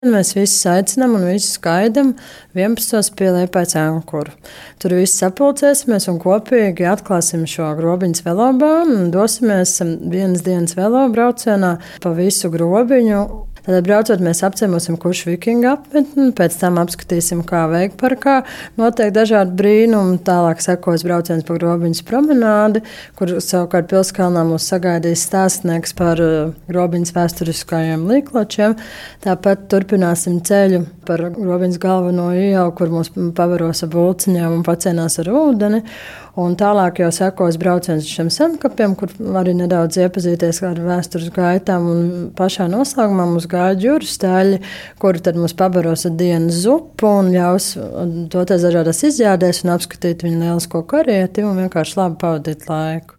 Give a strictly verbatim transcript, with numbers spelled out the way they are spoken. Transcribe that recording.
Mēs visus aicinām un visus gaidām vienpadsmitos pie Liepājas ankuru. Tur viss sapulcēsimies un kopīgi atklāsim šo Grobiņas velobānu un dosimies vienas dienas velobraucienā pa visu Grobiņu. Tad braucot, mēs apciemosim Kušu vikingu apmetni, pēc tam apskatīsim, kā Veikparkā notiek dažādi brīnumi. Tālāk sekos brauciens pa Grobiņas promenādi, kur savukārt Pilskalnā mūs sagaidīs stāstnieks par Grobiņas vēsturiskajiem līkločiem. Tāpat turpināsim ceļu par Grobiņas galveno ielu, kur mūs pavaros ar bulciņām un pacienās ar ūdeni. Un tālāk jau sekos brauciens uz šiem senkapiem, kur arī nedaudz iepazīties ar vēstures gaitām. Un pašā noslēgumā mums gaida jūras teļi, kuri tad mums pabaros ar dienas zupu un ļaus doties dažādās izjādēs un apskatīt viņu lielisko karieti un vienkārši labi pavadīt laiku.